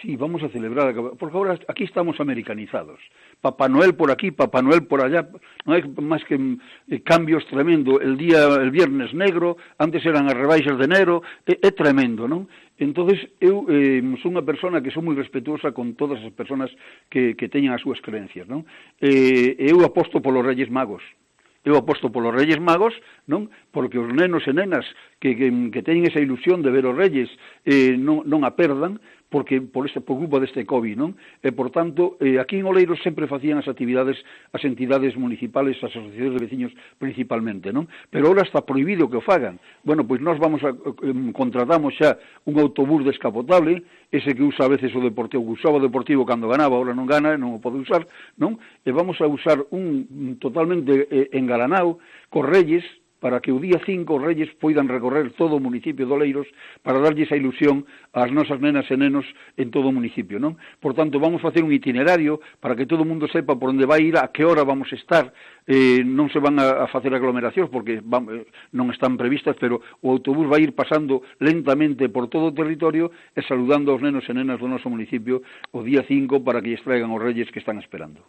Sí, vamos a celebrar, porque ahora aquí estamos americanizados. Papá Noel por aquí, Papá Noel por allá, non hai máis que cambios tremendo. El viernes negro, antes eran as rebaixas de enero, é tremendo, non? Entonces, eu sou unha persona que sou moi respetuosa con todas as persoas que teñan as súas creencias, non? Eu aposto polos Reyes Magos. Eu aposto polos Reyes Magos, non? Porque os nenos e nenas que teñen esa ilusión de ver os Reyes non a perdan, porque por culpa deste COVID, non? E, por tanto, aquí en Oleiros sempre facían as entidades municipales, as asociacións de veciños principalmente, non? Pero ahora está prohibido que o fagan. Bueno, pois nós contratamos xa un autobús descapotable, ese que usa a veces o Deportivo, que usaba o Deportivo cando ganaba, ahora non gana, non o pode usar, non? E vamos a usar un totalmente engalanado cos Reyes, para que o día 5 os Reyes poidan recorrer todo o municipio de Oleiros para darlle esa ilusión ás nosas nenas e nenos en todo o municipio, non? Por tanto, vamos facer un itinerario para que todo o mundo sepa por onde vai ir, a que hora vamos a estar, non se van a facer aglomeracións porque non están previstas, pero o autobús vai ir pasando lentamente por todo o territorio e saludando aos nenos e nenas do noso municipio o día 5 para que lles traigan os Reyes que están esperando.